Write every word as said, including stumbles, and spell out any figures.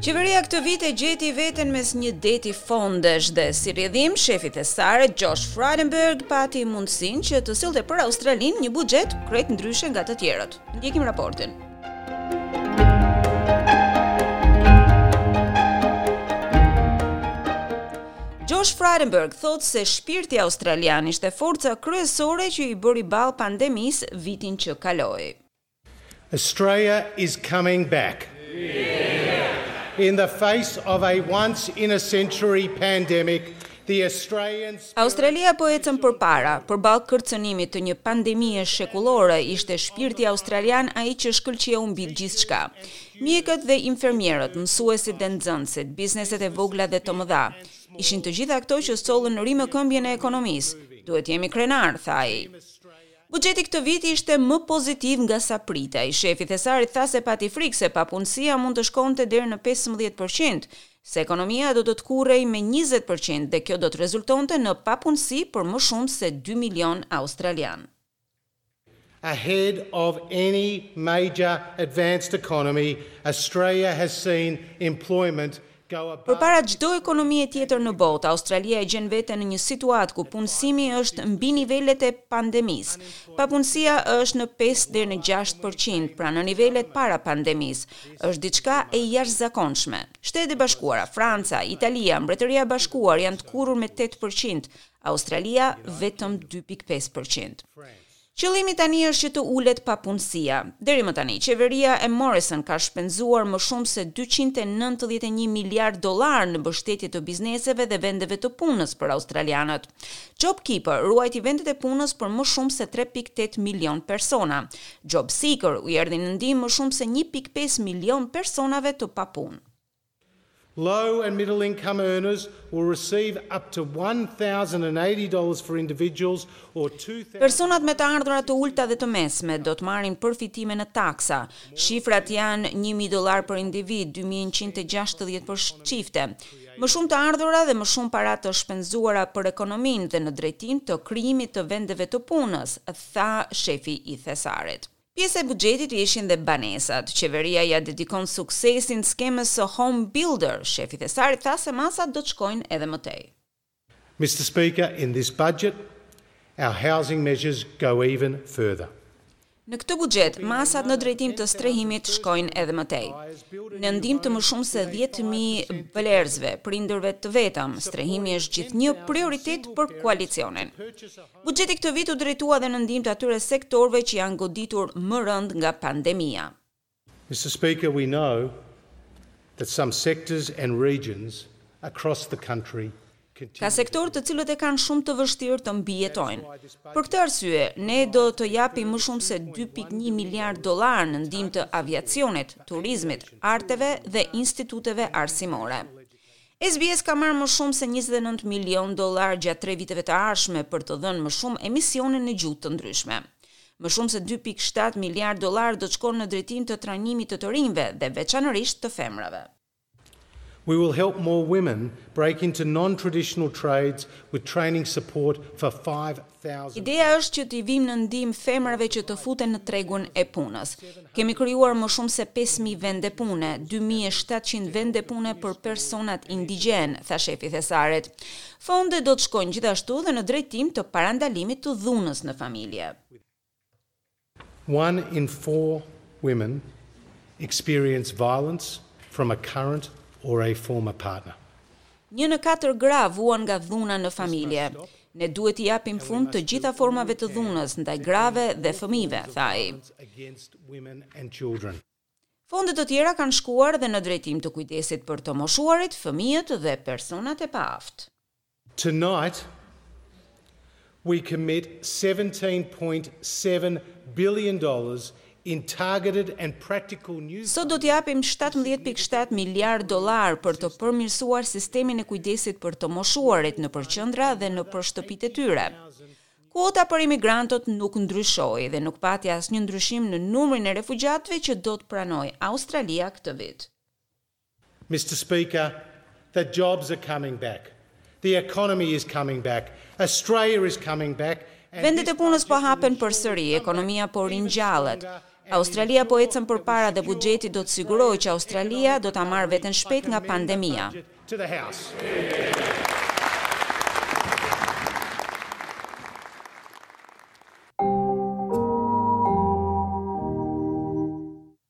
Qeveria këtë vit e gjeti veten mes një deti fondesh dhe si rrjedhim shefi i thesarit Josh Frydenberg pati mundësinë që të sillte për Australinë një buxhet krejt ndryshe nga të tjerët. Ndjekim raportin. Josh Frydenberg thotë se shpirti australian ishte forca kryesore që i bëri ballë pandemisë vitin që kaloi. Australia is coming back. In the face of a once in a century pandemic, the Australians Australia po ecën përpara, përballë kërcënimit të një pandemie shekullore, ishte shpirti australian ai që shkëlqeu mbi gjithçka. Mjekët dhe infermierët, mësuesit dhe nxënësit, bizneset e vogla dhe të mëdha, ishin të gjitha këto që sollën rimëkëmbjen e ekonomisë. Duhet jemi krenar, tha ai. Buxheti këtë vit ishte më pozitiv nga sa pritej. Shefi i thesarit tha se pati frikë se papunësia mund të shkonte deri në pesëmbëdhjetë përqind, se ekonomia do të tkurrej me njëzet përqind dhe kjo do të rezultonte në papunësi për më shumë se dy milion australian. Ahead of any major advanced economy, Australia has seen employment go above Përpara çdo ekonomie tjetër në botë, Australia e gjen veten në një situatë ku punësimi është mbi nivelet e pandemisë. Papunësia është në pesë deri në gjashtë përqind, pra në nivelet para pandemisë. Është diçka e jashtëzakonshme. Shtetet e Bashkuara, Franca, Italia, Mbretëria e Bashkuar janë tkurrur me tetë përqind, Australia vetëm dy pikë pesë përqind. Qëllimi tani është që të ulet papunësia. Deri më tani, qeveria e Morrison ka shpenzuar më shumë se dyqind e nëntëdhjetë e një miliard dollar në mbështetje të bizneseve dhe vendeve të punës për australianët. JobKeeper ruajti vendet e punës për më shumë se tre pikë tetë milion persona. JobSeeker u erdhi në ndihmë më shumë se një pikë pesë milion personave të papunë. Low and middle income earners will receive up to one thousand eighty dollars for individuals or two thousand Personat me të ardhura të ulta dhe të mesme do të marrin përfitime në taksa. Shifrat janë një mijë dollar për individ, dy mijë e njëqind e gjashtëdhjetë për çifte. Më shumë të ardhura dhe më shumë para të shpenzuara për ekonominë dhe në drejtim të krijimit të vendeve të punës, tha shefi i thesarit. Pjesë e buxhetit ishin dhe banesat. Qeveria ja dedikon suksesin skemës së Home Builder. Shefi i thesarit tha se masat do të shkojnë edhe më tej. Mister Speaker, in this budget, our housing measures go even further. Në këtë buxhet, masat në drejtim të strehimit shkojnë edhe më tej. Në ndihmë të më shumë se dhjetë mijë blerësve, prindërve të vetëm, strehimi është gjithnjë prioritet për koalicionin. Buxheti këtë vit u drejtua edhe në ndihmë të atyre sektorëve që janë goditur më rënd nga pandemia. Mister Speaker, we know that some sectors and regions across the country Ka sektorë të cilët e kanë shumë të vështirë të mbijetojnë. Për këtë arsye, ne do të japim më shumë se dy pikë një miliard dollar në ndihmë të aviacionit, turizmit, arteve dhe instituteve arsimore. S B S ka marrë më shumë se njëzet e nëntë milion dollar gjatë tre viteve të ardhshme për të dhënë më shumë emisione në gjuhë të ndryshme. Më shumë se dy pikë shtatë miliard dollar do të shkojnë në drejtim të trajnimit të të rinjve dhe veçanërisht të femrave. We will help more women break into non-traditional trades with training support for five thousand Ideja është që t'i vim në ndihmë femrave që të futen në tregun e punës. Kemi krijuar më shumë se pesë mijë vende pune, dy mijë e shtatëqind vende pune për personat indigjen, tha shefi i thesarit. Fonde do të shkojnë gjithashtu dhe në drejtim të parandalimit të dhunës në familje. One in four women experience violence from a current or a former partner. Një në katër gra vuan nga dhuna në familje. Ne duhet t'i japim fund të gjitha formave të dhunës ndaj grave dhe fëmijëve, tha ai. Against women and children. Fonde të tjera kanë shkuar dhe në drejtim të kujdesit për të moshuarit, fëmijët dhe personat e paaftë. Tonight, we commit seventeen point seven billion dollars in targeted and practical new Sot do t'japim shtatëmbëdhjetë pikë shtatë miliard dollar për të përmirësuar sistemin e kujdesit për të moshuarit në qendra dhe në për shtëpitë e tyre. Kuota për imigrantët nuk ndryshoi dhe nuk pati asnjë ndryshim në numrin e refugjatëve që do të pranojë Australia këtë vit. Mister Speaker, the jobs are coming back. The economy is coming back. Australia is coming back. Vendet e punës po hapen përsëri, ekonomia po ringjallet. Australia po ecën përpara dhe buxheti do të sigurojë që Australia do ta marrë veten shpejt nga pandemia. To the House.